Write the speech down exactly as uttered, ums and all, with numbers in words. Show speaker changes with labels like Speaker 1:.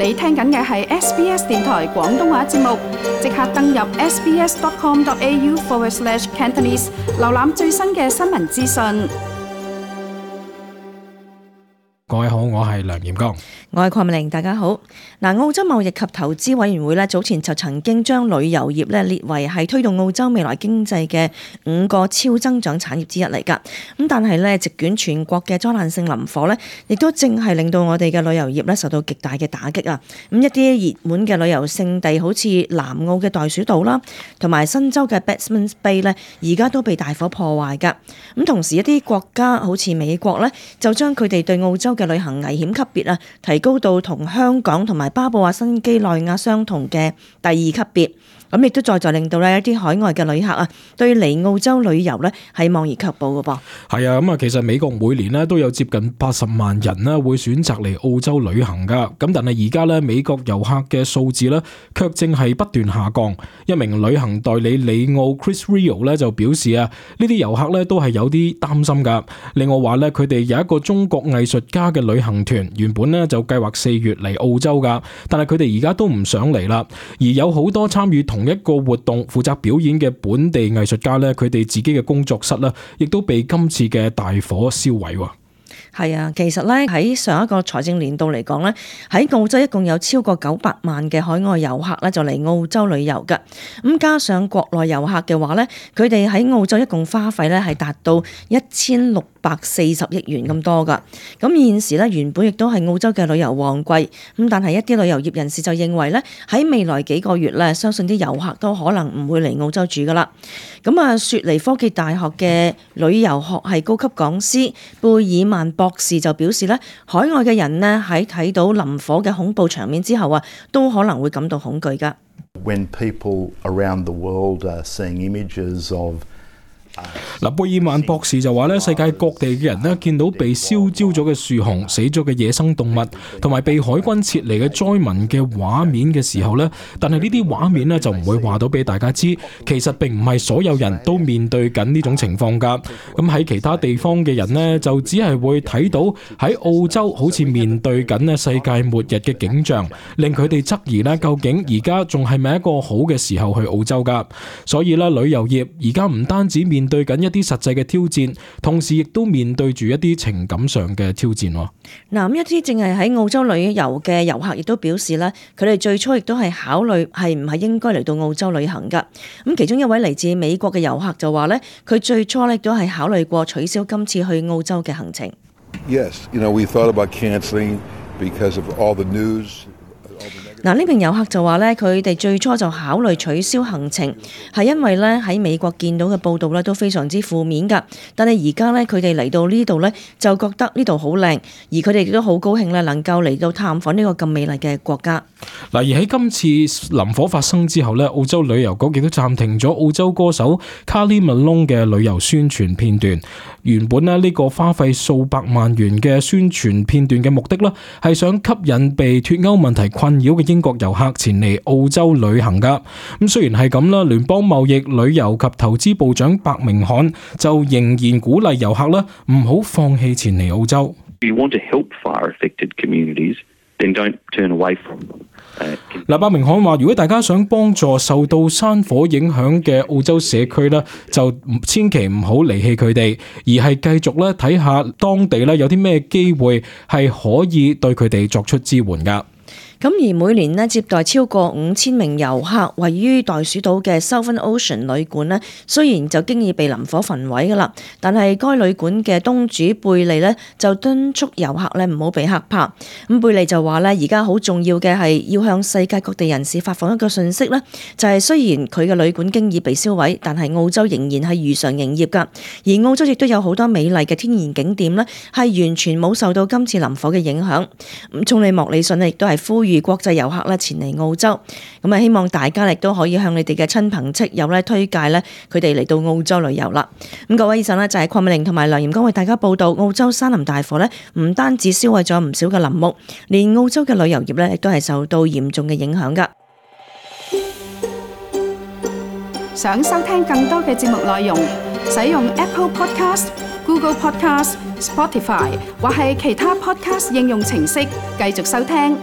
Speaker 1: 你聽緊嘅係 S B S 電台廣東話節目，即刻登入 sbs.com.au forward slash Cantonese， 瀏覽最新嘅新聞資訊。
Speaker 2: 各位好，我係梁炎剛，
Speaker 3: 我係鄺美玲，大家好。嗱，澳洲貿易及投資委員會咧早前就曾經將旅遊業咧列為係推動澳洲未來經濟嘅五個超增長產業之一嚟㗎。咁但係咧，席捲全國嘅災難性林火咧，亦都正係令到我哋嘅旅遊業咧受到極大嘅打擊啊！咁一啲熱門嘅旅遊勝地，好似南澳嘅袋鼠島啦，同埋新州嘅 Batemans Bay 咧，而家都被大火破壞㗎。咁同時一啲國家好似美國咧，就將佢哋對澳洲嘅旅行危險級別啊，提高到同香港同埋巴布亞新畿內亞相同嘅第二級別。咁亦都再再令到咧一啲海外嘅旅客啊，對嚟澳洲旅遊咧係望而卻步嘅噃。
Speaker 2: 係啊，咁啊，其實美國每年咧都有接近八十萬人咧會選擇嚟澳洲旅行噶。咁但係而家咧美國遊客嘅數字咧卻正係不斷下降。一名旅行代理李奧 Chris Rio 咧就表示啊，呢啲遊客咧都係有啲擔心噶。另外話咧，佢哋有一個中國藝術家嘅旅行團，原本咧就計劃四月嚟澳洲噶，但係佢哋而家都唔想嚟啦。而有好多參與同同一個活動負責表演嘅本地藝術家咧，佢哋自己嘅工作室咧，亦都被今次嘅大火燒毀。
Speaker 3: 係啊，其實咧喺上一個財政年度嚟講咧，喺澳洲一共有超過九百萬嘅海外遊客咧就嚟澳洲旅遊㗎。咁加上國內遊客嘅話咧，佢哋喺澳洲一共花費咧係達到一千六百四十億元咁多㗎。咁現時咧原本亦都係澳洲嘅旅遊旺季，咁但係一啲旅遊業人士就認為咧喺未來幾個月咧，相信啲遊客都可能唔會嚟澳洲住㗎啦。咁啊，雪梨科技大學嘅旅遊學系高級講師貝爾曼博士就表示咧，海外嘅人呢喺睇到林火嘅恐怖場面之後啊，都可能會感到恐懼㗎。
Speaker 4: When people around the world are seeing images of
Speaker 2: 嗱，貝爾曼博士就話咧，世界各地嘅人咧見到被燒焦咗嘅樹熊、死咗嘅野生動物，同埋被海軍撤離嘅災民嘅畫面嘅時候咧，但係呢啲畫面咧就唔會話到俾大家知，其實並唔係所有人都面對緊呢種情況㗎。咁喺其他地方嘅人呢，就只係會睇到喺澳洲好似面對緊咧世界末日嘅景象，令佢哋質疑咧究竟而家仲係咪一個好嘅時候去澳洲㗎？所以咧，旅遊業而家唔單止面對緊一啲實際嘅挑戰，同時亦都面對住一啲情感上嘅挑戰。
Speaker 3: 嗱，咁一啲淨係喺澳洲旅遊嘅遊客亦都表示咧，佢哋最初亦都係考慮係唔係應該嚟到澳洲旅行噶。咁其中一位嚟自美國嘅遊客就話咧，佢最初咧都係考慮過取消今次去澳洲嘅行程。
Speaker 5: Yes, you know, we thought about canceling because of all the news.
Speaker 3: 嗱，呢名遊客就話咧，佢哋最初就考慮取消行程，係因為咧喺美國見到嘅報道咧都非常之負面㗎。但係而家咧佢哋嚟到呢度咧，就覺得呢度好靚，而佢哋亦都好高興咧能夠嚟到探訪呢個咁美麗嘅國家。
Speaker 2: 嗱，而喺今次林火發生之後咧，澳洲旅遊局亦都暫停咗澳洲歌手 Kylie Malone 嘅旅遊宣傳片段。原本咧呢個花費數百萬元嘅宣傳片段嘅目的咧，係想吸引被脫歐問題困擾嘅英國遊客前嚟澳洲旅行噶。咁雖然係咁啦，聯邦貿易、旅遊及投資部長白明翰就仍然鼓勵遊客啦，唔好放棄前嚟澳洲。
Speaker 6: You want to help fire-affected communities, then don't turn away from them.
Speaker 2: 嗱，白明翰話：如果大家想幫助受到山火影響嘅澳洲社區咧，就千祈唔好離棄佢哋，而係繼續咧睇下當地咧有啲咩機會係可以對佢哋作出支援㗎。
Speaker 3: 咁而每年呢接待超過五千名遊客，位於袋鼠島嘅 Southern Ocean 旅館呢，雖然就經已被林火焚毀㗎啦，但係該旅館嘅東主貝利呢就敦促遊客呢唔好被嚇怕。咁貝利就話呢，而家好重要嘅係要向世界各地人士發放一個訊息呢，就係雖然佢嘅旅館經已被燒毀，但係澳洲仍然係如常營業㗎。而澳洲亦都有好多美麗嘅天然景點呢，係完全冇受到今次林火嘅影響。咁總理莫里遜呢亦都係呼籲國際遊客咧前嚟澳洲，咁啊希望大家亦都可以向你哋嘅親朋戚友咧推介咧佢哋嚟到澳洲旅遊啦。咁各位以上咧就係鄺美玲同埋梁炎剛為大家報道，澳洲山林大火咧唔單止燒毀咗唔少嘅林木，連澳洲嘅旅遊業咧亦都係受到嚴重嘅影響噶。
Speaker 1: 想收聽更多嘅節目內容，使用 Apple Podcast、Google Podcast、Spotify 或係其他 Podcast 應用程式繼續收聽。